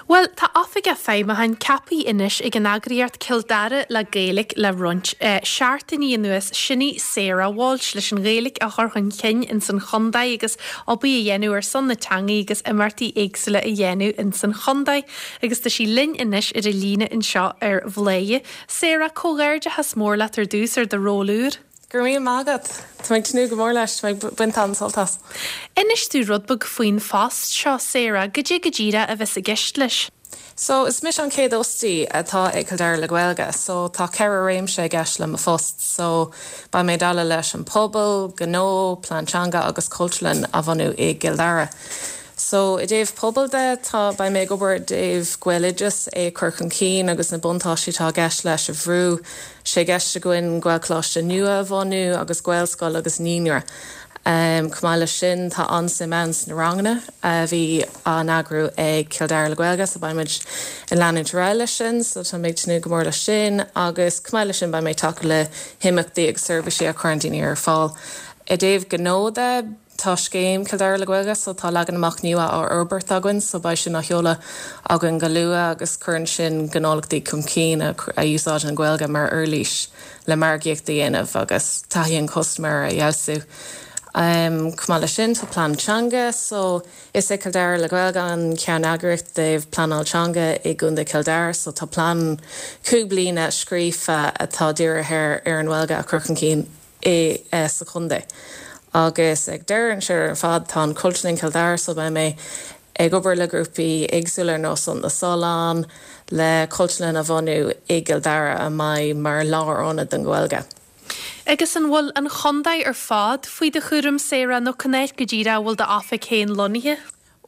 Bhuel, tá Oifigeach Feidhmiúcháin ceaptha anois ag an eagraíocht Cill Dara le Gaeilge le roinnt seachtainí anuas, sin í Sarah Walsh, leis an Ghaeilge a chur chun cinn ins an chontae agus obair a dhéanamh ar son na teangaí agus imeachtaí éagsúla a dhéanamh ins an chontae. Agus tá sí linn anois ar an líne anseo ar Bhladhaire. Sarah, comhghairdeachas mór leat ar dtús ar do ról úr. Go raibh míle maith agat. Tá mé ag tnúth go mór leis. Tá mé ag baint an-sult as. Inis domh rud beag faoin phost seo, Sarah. Goidé go díreach a bheas i gceist leis? So, is mise an chéad fhostaí atá ag Cill Dara le Gaeilge. So, tá cheithre réimse i gceist le mo phost. So, beidh mé ag déileáil leis an pobal, gnó, plean teanga agus cultúrlann a bhunú i gCill Dara. So, i dtaobh pobail de, tá, beidh mé ag obair i dtaobh Gaeloideas, é a chur chun cinn agus na buntáistí atá i gceist leis a bhrú. sé i gceist againn Gaelcholáiste nua a bhunú agus Gaelscoil agus naíonra. Chomh maith leis sin, tá an-suim ann sna ranganna a bhí á n-eagrú ag Cill Dara le Gaeilge so beidh muid ag leanúint ar aghaidh leis sin so tá mé ag tnúth go mór leis sin agus chomh maith leis sin beidh mé ag tacú le himeachtaí agus seirbhísí a chuireann daoine ar fáil. I dtaobh gnó de, Tá scéim Cill Dara le Gaeilge so tá leagan amach nua á fhorbairt againn so beidh sin á sheoladh againn go luath agus cuireann sin gnólachtaí chun cinn a úsáideann an Ghaeilge mar uirlís le margaíocht a dhéanamh agus taithí an chustaiméara a fheabhsú. Chomh maith leis sin tá plean teanga so is é Cill Dara le Gaeilge an cheanneagraíocht i dtaobh pleanáil teanga i gContae Chill Dara so tá plean 5 bliana scríofa atá dírithe ar an nGaeilge a chur chun cinn i sa chontae. Agus ag deireadh an siar ar fad tá an Cultúrlann Cill Dara so beidh mé ag obair le grúpaí éagsúla ar nós na Sollán le cultúrlann a bhunú i gCill Dara a mbeidh mar lárionad don Ghaeilge. Agus an bhfuil an chontae ar fad faoi do chúram, Sarah, nó cá háit go díreach a bhfuil d'oifig féin lonnaithe?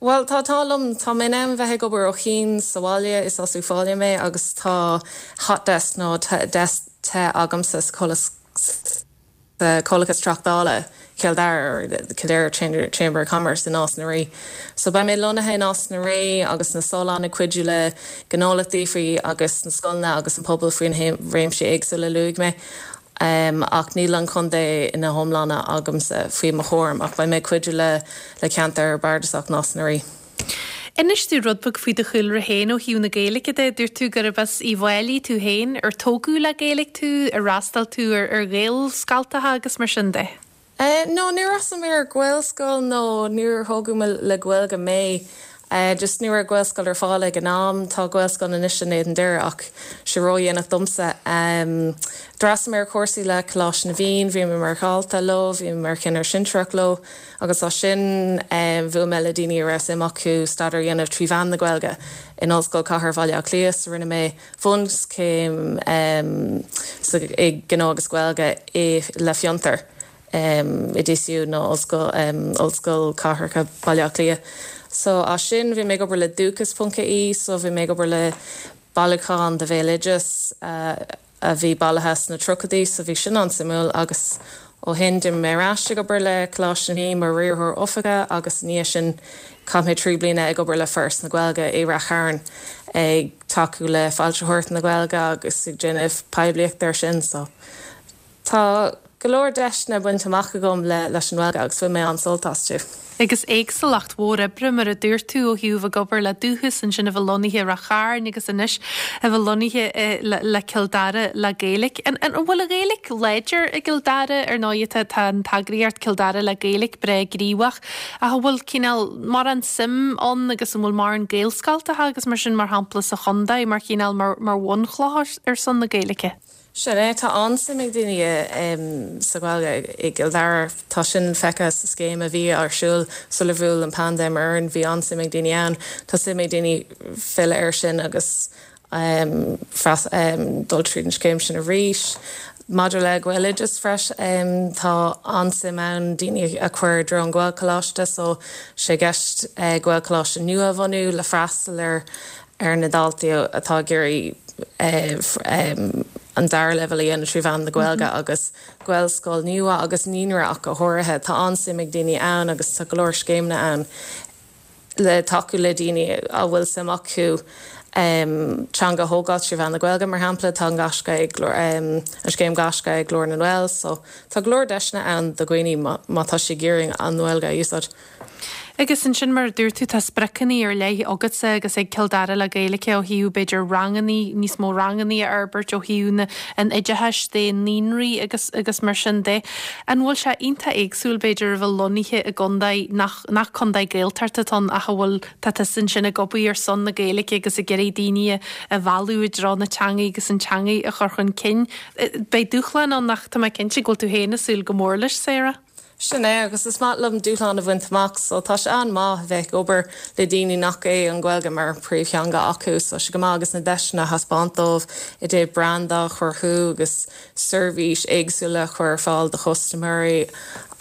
Bhuel, tá an t-ádh liom, tá mé in ann bheith ag obair ó chian sa bhaile, is as Uíbh Fhailí mé agus tá hot desk nó deasc te agamsa sa sa Chomhlachas Tráchtála Chill Dara, or the Kildare Chamber of Commerce i Nás na Rí. So beidh mé lonnaithe i Nás na Rí agus na Solláin ag cuidiú le gnólachtaí faoi agus na scoileanna agus an pobal faoi na réimsí éagsúla a luaigh mé. Ach níl an contae ina hiomláine agamsa faoi mo chúram ach beidh mé ag cuidiú le le ceantar bardasach Nás na Rí. Inis domh rud beag faoi do chúlra féin ó thaobh na Gaeilge de. Dúirt tú gurb as Uíbh Fhailí tú féin. Ar tógadh le Gaeilge tú? Ar fhreastail tú ar ar Ghaelscoltacha agus mar sin de? No, níor fhreastail mé ar Ghaelscoil nó níor thógadh mé le Gaeilge mé. Just ní raibh Gaelscoil ar fáil ag an am. Tá Gaelscoil anois in Éadan Doire ach sé ródhéanach domsa. D'fhreastail mé ar chúrsaí le Coláiste na bhFiann, bhí mé mar dhalta leo, bhí mé mar chinnire sinsearach leo. Agus as sin, bhuail mé le daoine a raibh suim acu staidéar a dhéanamh trí mheán na Gaeilge in Ollscoil Chathair Bhaile Átha Cliath. So rinne mé bunchéim i nGnó agus Gaeilge i le Fiontar i DCU nó Ollscoil Ollscoil Cathrach Bhaile Átha Cliath. So as sin bhí mé ag obair le Dúchas.ie so bhí mé ag obair le bailiúchán de bhéaloideas a bhí bailithe sna tríochaidí so bhí sin an-suimiúil agus ó shin d'imigh mé ar ais ag obair le Coláiste na bhFiann mar riarthóir oifige agus i ndiaidh sin chaith mé 3 bliana ag obair le Foras na Gaeilge i Rath Chairn ag tacú le foilsitheoireacht na Gaeilge agus ag déanamh poiblíochta ar sin so Tá go leor deiseanna bainte amach agam leis an nGaeilge agus bhain mé an-sult astu. Agus éagsúlacht mhór oibre, mar a dúirt tú, ó thaobh ag obair le Dúchas, ansin a bheith lonnaithe i Rath Chairn agus anois a bheith lonnaithe le Cill Dara le Gaeilge. An bhfuil an Ghaeilge láidir i gCill Dara? Ar ndóigh tá tá an t-eagraíocht Cill Dara le Gaeilge breá gníomhach ach an bhfuil cineál mórán suim ann agus an bhfuil mórán Gaelscoltacha agus mar sin mar shampla sa chontae mar chineál mar mar bhunchloch ar son na Gaeilge? Sin é, tá an-suim ag daoine sa Ghaeilge i gCill Dara. Tá sin feicthe sa scéim a bhí ar siúl sular bhuail an paindéim orainn. Bhí an-suim ag daoine ann. Tá suim ag daoine filleadh air sin agus dul tríd an scéim sin arís. Maidir le Gaeloideas freisin, tá an-suim ann daoine a chur i dtreo an Ghaelcholáiste so sé i gceist Gaelcholáiste nua a bhunú le freastal ar ar na daltaí atá ag iarraidh an dara leibhéal a dhéanamh trí mheán na Gaeilge agus Gaelscoil nua agus naíonra ach go háirithe. Tá an-suim ag daoine ann agus tá go leor scéimeanna ann le tacú le daoine a bhfuil suim acu teanga a thógáil trí mheán na Gaeilge, mar shampla. Tá an Gaisce ag an scéim Gaisce ag Glór na nGael so tá go leor deiseanna ann do dhaoine má tá siad ag iarraidh an Ghaeilge a úsáid. Agus ansin, mar a dúirt tú, tá spriocanna ar leith agatsa agus ag Cill Dara le Gaeilge ó thaobh, b'fhéidir, rangannaí, níos mó rangannaí a fhorbairt ó thaobh na, an oideachais de, naíonraí agus, agus mar sin de. An bhfuil sé iontach éagsúil, b'fhéidir, a bheith lonnaithe i gcontae nach, nach contae Gaeltachta atá ann ach a bhfuil, tá tusa ansin ag obair ar son na Gaeilge agus ag iarraidh daoine a, a mhealladh i dtreo na teanga agus an teanga a chur chun cinn. Beidh dúshláin ann ach tá mé cinnte go bhfuil tú féin ag súil go mór leis, Sarah. Sin é, agus is maith liom dúshlán a bhaint amach, so tá sé an-maith a bheith ag obair le daoine nach é an Ghaeilge mar príomhtheanga acu, so tá sé go maith agus na deiseanna a thaispeáint dóibh i dtaobh branda a chruthú agus seirbhís éagsúla a chur ar fáil do chustaiméirí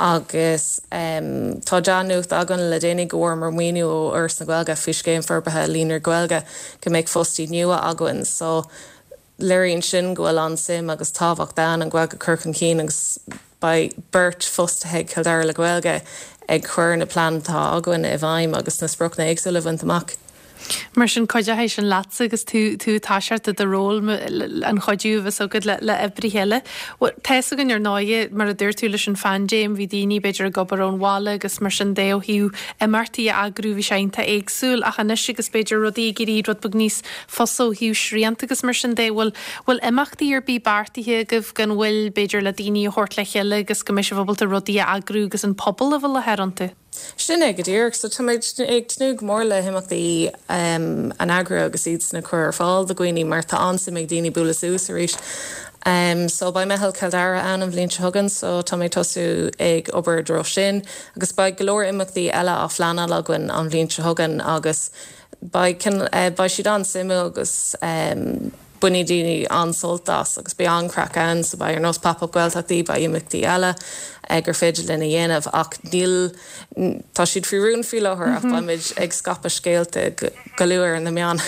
agus tá dea-nuacht againn le déanaí go bhfuaireamar maoiniú ó Fhoras na Gaeilge faoi Scéim Forbartha Líonraí Gaeilge go mbeidh fostaí nua againn, so léiríonn sin go bhfuil an-suim agus tábhacht ann an Ghaeilge a chur chun cinn agus beidh beirt fostaithe ag Cill Dara le Gaeilge ag cur na plean atá againn i bhfeidhm agus na spriocanna éagsúla a bhaint amach. Mar sin, cuideoidh sin leatsa agus tú tú ag toiseacht i do ról, an chuidiú a bheas agat le le oibrithe eile. Bhuel, tá fhios againn ar ndóighe, mar a dúirt tú leis an phaindéim, bhí daoine b'fhéidir ag obair ón bhaile agus mar sin de ó thaobh imeachtaí a eagrú bhí sé iontach éagsúil ach anois agus b'fhéidir rudaí ag éirí rud beag níos fusa ó thaobh srianta agus mar sin de. Bhfuil, bhfuil imeachtaí ar bith beartaithe agaibh gan mhoill, b'fhéidir le daoine a thabhairt le chéile agus go mbeidh sibh ábalta rudaí a eagrú agus an pobal a bheith i láthair iontu? Sin é go díreach. So táimid ag tnúth go mór le himeachtaí a eagrú agus iad san a chur ar fáil do dhaoine mar tá an-suim ag daoine bualadh suas arís. So beidh Meitheal Chill Dara ann an bhliain seo chugainn so tá mé ag tosú ag obair i dtreo sin agus beidh go leor imeachtaí eile á phleanáil againn an bhliain seo chugainn agus Beidh, beidh siad an-suimiúil agus bainfidh daoine an-sult as agus beidh an-chraic ann so beidh ar nós Pop Up Gaeltachtaí, beidh imeachtaí eile gur féidir linn a dhéanamh ach níl, tá siad faoi rún faoi láthair ach beimid ag scaipeadh scéalta go luath ar na meáin.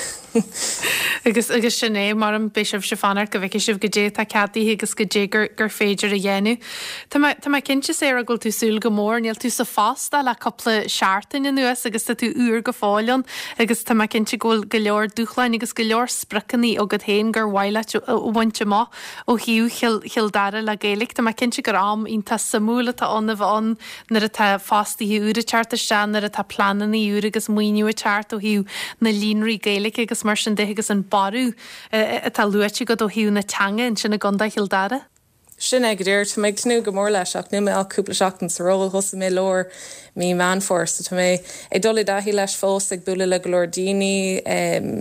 Agus, agus sin é, mar beidh sibhse ag fanacht go bhfeicfidh sibh goidé atá ceadaithe agus goidé gur, gur féidir a dhéanamh. Tá mé, tá mé cinnte, Sarah, go bhfuil tú ag súil go mór. Níl tú sa phost ach le cúpla seachtain anuas agus tá tú úr go fóill ann agus tá mé cinnte go bhfuil go leor dúshláin agus go leor spriocanna agat féin gur mhaith leat a bhaint amach ó thaobh Chill, Chill Dara le Gaeilge. Tá mé cinnte gur am iontach suimiúil atá ann a bheith ann nuair atá fostaithe úra ag teacht isteach, nuair atá pleananna úra agus maoiniú ag teacht ó thaobh na líonraí Gaeilge agus mar sin de agus an borradh atá luaite agat ó thaobh na teanga ansin i gContae Chill Dara. Sin é go díreach. Tá mé ag tnúth go mór leis ach níl mé ach cúpla seachtain sa ról. Thosaigh mé lár mí Meán Fómhair so tá mé ag dul i dtaithí leis fós, ag bualadh le go leor daoine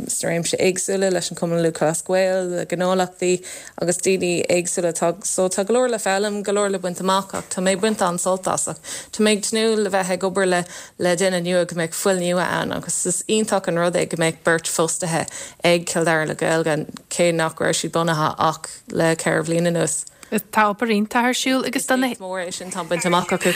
sna réimse éagsúla, leis an Chumann Lúthchleas Gael, le gnólachtaí agus daoine éagsúla. Tá so tá go leor le foghlaim, go leor le baint amach ach tá mé ag baint an-sult as ach tá mé ag tnúth le bheith ag obair le le duine nua go mbeidh fuil nua ann agus is iontach an rud é go mbeidh beirt fostaithe ag Cill Dara le Gaeilge cé nach raibh siad bunaithe ach le 4 bhliain anuas. Tá obair iontach ar siúl agus do na. Is éacht mór é sin atá bainte amach acu.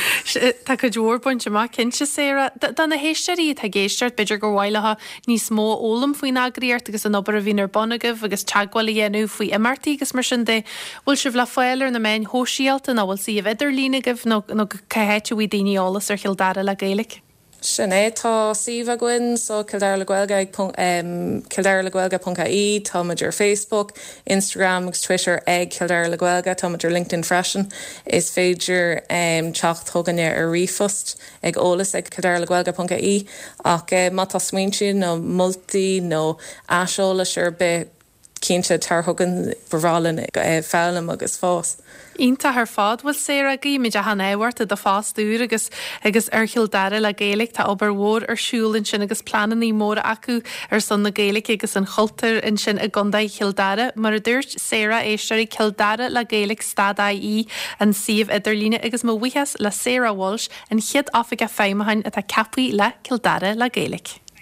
Tá cuid mhór bainte amach, cinnte, Sarah. Do na héisteoirí atá ag éisteacht, b'fhéidir gur mhaith leo níos mó a fhoghlaim faoin eagraíocht agus an obair a bhíonn ar bun agaibh agus teagmháil a dhéanamh faoi imeachtaí agus mar sin de. Bhfuil sibh le fáil ar na meáin shóisialta nó bhfuil suíomh idirlín agaibh nó nó cá háit a bhfaighidh daoine eolas ar Chill Dara le Gaeilge? Sin é. Tá suíomh againn so Cill Dara le Gaeilge ag cilldaralegaeilge ponc ie. Tá muid ar Facebook, Instagram agus Twitter ag Cill Dara le Gaeilge. Tá muid ar LinkedIn freisin. Is féidir teacht chugainne ar ríomhphost ag eolas ag cilldaralegaeilge ponc ie. Ach má tá smaointe nó moltaí nó aiseolais ar bith, Cinnte, tar chugainn, ba bhreá linn foghlaim agus fás. Iontach ar fad. Bhuel Sarah, guímid achan ádh ort i do phost úr agus agus ar Chill Dara le Gaeilge. Tá obair mhór ar siúl ansin agus pleananna móra acu ar son na Gaeilge agus an chultúir ansin i gContae Chill Dara. Mar a dúirt Sarah, éisteoirí, Cill Dara le Gaeilge stad IE an suíomh idirlíne agus mo bhuíochas le Sarah Walsh, an chéad Oifigeach Feidhmiúcháin atá ceaptha le Cill Dara le Gaeilge.